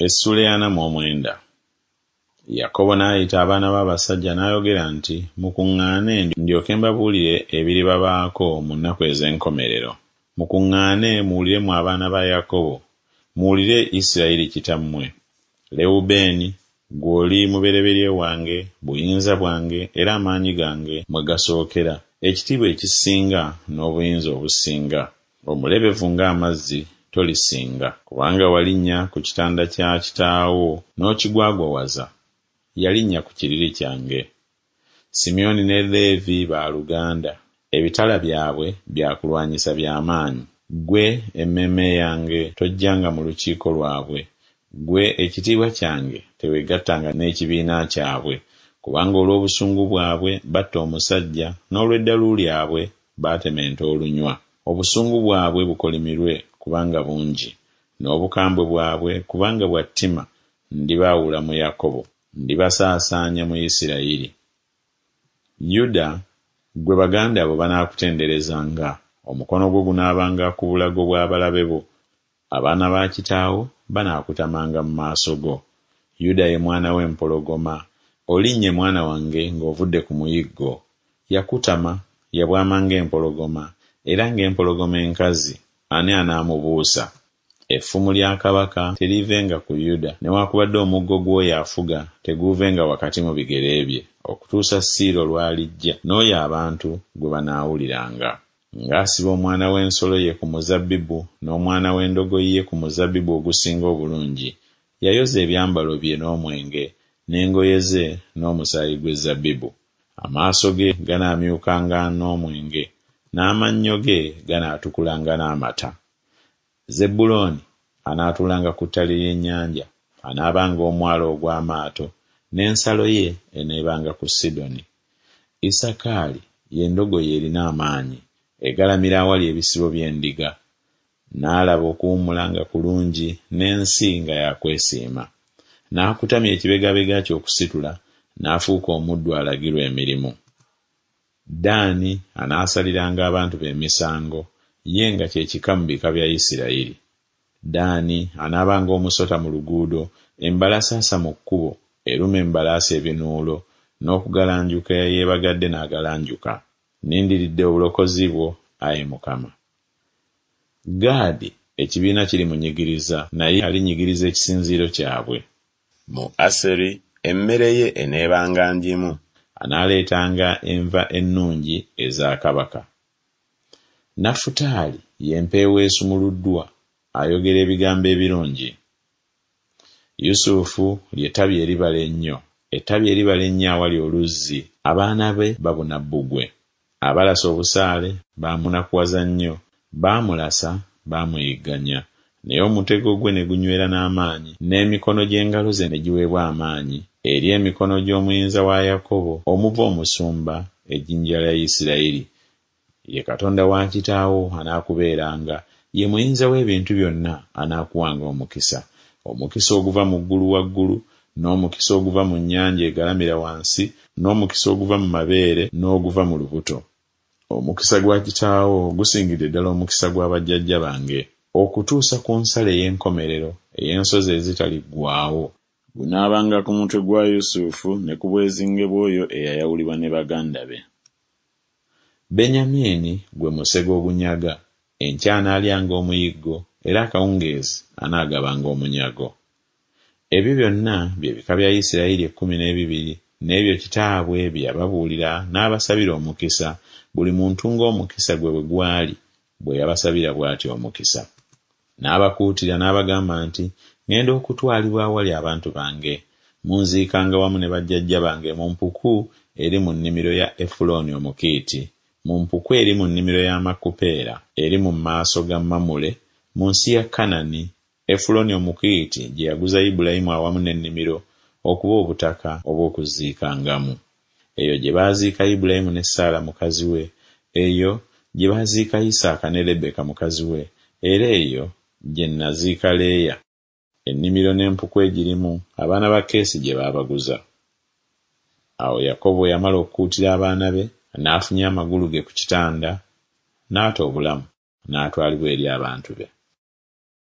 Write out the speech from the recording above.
Essuula ey'ana mu omwenda. Yakobo n'ayita abaana be abasajja n'ayogera nti Mukuŋŋaane ndyoke mbabuulire ebiribabaako mu nnaku ez'enkomerero. Mukuŋŋaane muwulire mmwe abaana ba Yakobo, muwulire Isirayiri kitammwe. Lewubeeni, ggwe oli mubereberye wange, buyinza bwange era amaanyi gange mwe gasookera, ekitiibwa ekisinga n'obuyinza obusinga. Omulebevu ng'amazzi, tolisinga. Kubanga walinnya ku kitanda kya kitaawo n'okigwagwawaza, yalinnya ku kiriri kyange. Simyoni ne Leevi baaluganda, ebitala byabwe bya kulwanyisa bya maanyi. Ggwe emmeeme yange tojjanga mu lukiiko lwabwe, ggwe ekitiibwa kyange teweegattanga n'ekibiina kyabwe, kubanga olw'obusungu bwabwe batta omusajja, n'olw'eddalu lyabwe baatema ente olunywa. Obusungu bwabwe bukolimirwe, kubanga bungi, n'obukambwe bwabwe, kubanga bwa ttima, ndibaawula mu Yakobo, ndibasaasaanya mu Isirayiri. Yuda, ggwe baganda bo banaakutenderezanga, omukono gwo gunaabanga ku bulago bw'abalabe bo, abaana ba kitaawo banaakutamanga mu maaso go. Yuda ye mwana w'empologoma, olinnye mwana wange ng'ovudde ku muyiggo. Yakutama, yabwama ng'empologoma, era ng'empologoma enkazi, ani anaamubuusa? Effumu lya kabaka teriivenga ku Yuda, newakubadde omuggo gw'oyo afuga teguuvenga wakati mu bigere bye, okutuusa Siiro lw'alijja, n'oyo abantu gwe banaawuliranga. Ng'asiba omwana w'ensolo ye ku muzabbibu, n'omwana w'endogoyi ye ku muzabbibu ogusinga obulungi, yayoza ebyambalo bye n'omwenge, n'engoye ze n'omusaayi gw'ezzabbibu. Amaaso ge ganaamyukanga n'omwenge, n'amannyo ge ganaatukulanga n'amata. Zebbulooni anaatuulanga ku ttale ly'ennyanja, anaabanga omwalo ogw'amaato, n'ensalo ye eneebanga ku Sidoni. Isakaali ye ndogoyi erina amaanyi, egalamira awali ebisibo by'endiga. N'alaba okuwummula nga kulungi, n'ensi nga ya kwesiima. N'akutamya ekibegabega kye okusitula, n'afuuka omuddu alagirwa emirimu. Ddaani anaasaliranga abantu be emisango, ye nga kye kika mu bika bya Isirayiri. Ddaani anaabanga omusota mu luguudo, embalasaasa mu kkubo, eruma embalaasi ebinuulo, n'okugalanjuka eyeebagadde n'agalanjuka. Nnindiridde obulokozi bwo, ayi Mukama. Gaadi ekibiina kirimunyigiriza, naye alinyigiriza ekisinziiro kyabwe. Mu Aseri emmere ye eneebanga ngimu. Anaaleetanga enva ennungi eza kabaka. Nafutaali ye mpeewo esumuluddwa, ayogera ebigambo ebirungi. Yusufu lye ttabi eribala ennyo, ettabi eribala ennyo awali oluzzi, abaana be babuna bbugwe. Abalasa obusaale baamunakuwaza nnyo, baamulasa, baamuyigganya. Naye omutego gwe ne gunywera n'amaanyi, n'emikono gy'engalo ze ne giweebwa amaanyi, eri emikono gy'Omuyinza wa Yakobo, omuva omusumba, ejjinja lya Isirayiri. Ye Katonda wa kitaawo anaakubeeranga, ye Muyinza w'ebintu byonna anaakuwanga omukisa, omukisa oguva mu ggulu waggulu, n'omukisa oguva mu nnyanja egalamira wansi, n'omukisa oguva mu mabeere n'oguva mu lubuto. Omukisa gwa kitaawo gusingidde ddala omukisa gwa bajjajja bange, okutuusa ku nsalo ey'enkomerero ey'ensozi ezitaliggwaawo. Gunaabanga ku mutwe gwa Yusufu ne ku bwezinge bw'oyo eyayawulibwa ne baganda be. Benyamini gwe musege ogunyaga, enkya anaalyanga omuyiggo, era akawungeezi anaagabanga omunyago. Ebyo byonna bye bika bya Isirayiri ekkumi n'ebibiri, n'ebyo kitaabwe bye yababuulira n'abasabira omukisa, buli muntu ng'omukisa gwe bwe gwali, bwe yabasabira bw'atyo omukisa. N'abakuutira n'abagamba nti, Ŋŋenda okutwalibwa awali abantu bange. Munziikanga wamu ne bajjajja bange mu mpuku eri mu nnimiro ya Efulooni Omukiiti, mu mpuku eri mu nnimiro ya Makupeera, eri mu maaso ga Mamule, mu nsi ya Kanani, Efulooni Omukiiti gye yaguza Ibulayimu awamu n'ennimiro okuba obutaka obw'okuziikangamu. Eyo gye baaziika Ibulayimu ne Saala mukazi we, eyo gye baaziika Isaaka ne Lebbeeka mukazi we, era eyo gye nnaziika Leeya. Ennimiro n'empuku egirimu, abaana ba Keesi gye baabaguza. Awo Yakobo bwe yamala okukuutira abaana be, n'afunya amagulu ge ku kitanda, n'ata obulamu, n'atwalibwa eri abantu be.